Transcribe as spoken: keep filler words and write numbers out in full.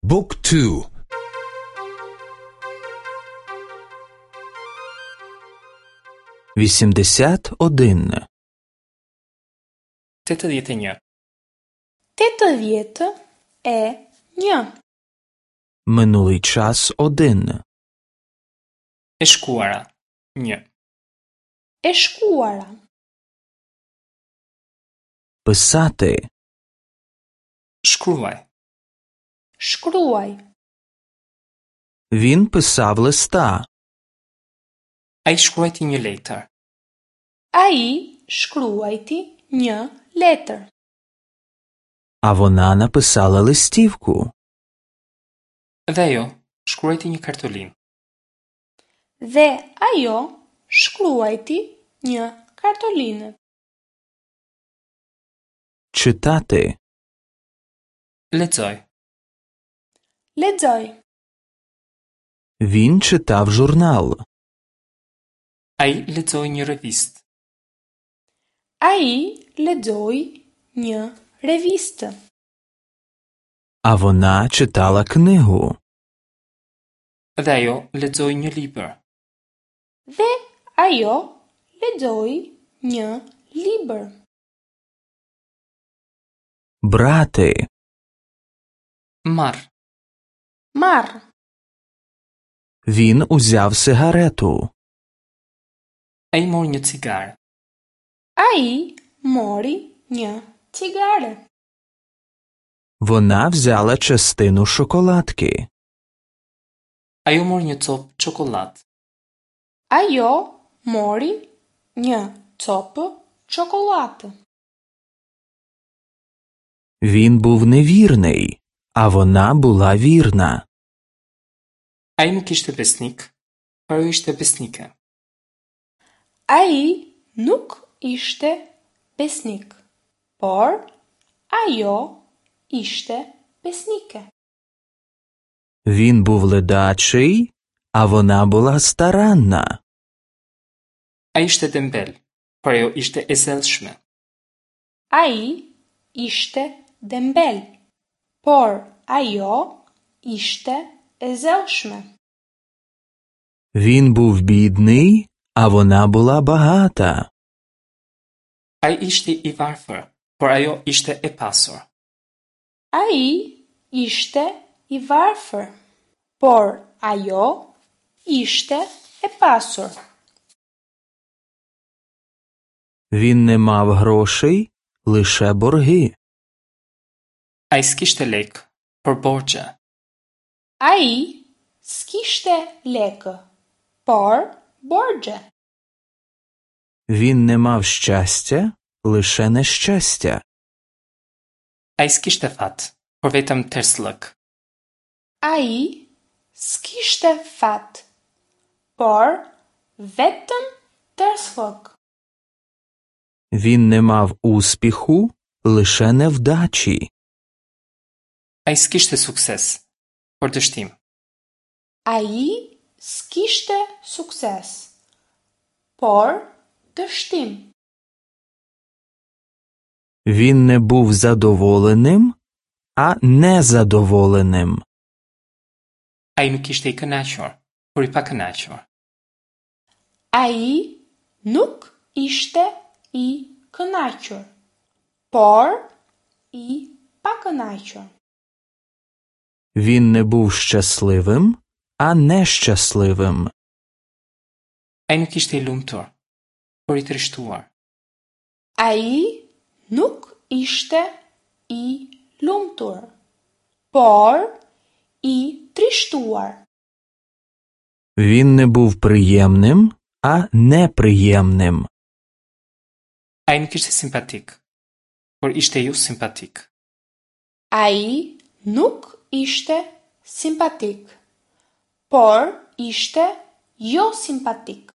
Book two. Вісімдесят один. Tetëdhjetë e një. Tetëdhjetë e një. Минулий час один. E shkuara. Një. E shkuara. Писати. Shkruaj. Shkruaj. Він писав листа. Ai shkruajti një letër. Ai shkruajti një letër. А вона написала листівку. Dhe ajo shkruajti një kartolinë. Dhe ajo shkruajti një kartolinë. Читати. Lexoj. Lexoj. Він читав журнал. Ai lexoi një revistë. Ai lexoi një revistë. А вона читала книгу. Dhe ajo lexoi një libër. Dhe ajo lexoi një libër. Брати. Marr. Marr. Він узяв сигарету. Ai mori një cigare. Ai mori një cigare. Вона взяла частину шоколадки. Ajo mori një copë çokollatë. Ajo mori një copë çokollatë. Він був невірний, а вона була вірна. Ai nuk ishte besnik, por ajo ishte besnike. Ai nuk ishte besnik, por ajo ishte besnike. Він був ледачий, а вона була старанна. Ai ishte dembel, por ajo ishte e zellshme. Ai ishte dembel, por ajo ishte e zellshme. Він був бідний, а вона була багата. Ai ishte i varfër, por ajo ishte e pasur. Ai ishte i varfër, por ajo ishte e pasur. Він не мав грошей, лише борги. Ai s'kishte lekë, por borxhe. Ai s'kishte lekë, por borxhe. Він не мав щастя, лише нещастя. Ai s'kishte fat, por vetëm tersllëk. Ai s'kishte fat, por vetëm tersllëk. Він не мав успіху, лише невдачі. Ai s'kishte sukses, por dështim. Ai s'kishte sukses, por dështim. Він не був задоволеним, а незадоволеним. Ai nuk ishte i kënaqur, por i pakënaqur. Ai nuk ishte i kënaqur, por i pakënaqur. Він не був щасливим, а нещасливим. Ai nuk ishte i lumtur, por i trishtuar. Ai nuk ishte i lumtur, por i trishtuar. Він не був приємним, а неприємним. Ai nuk ishte simpatik, por ishte jo simpatik. Ai nuk ishte simpatik, por ishte jo simpatik.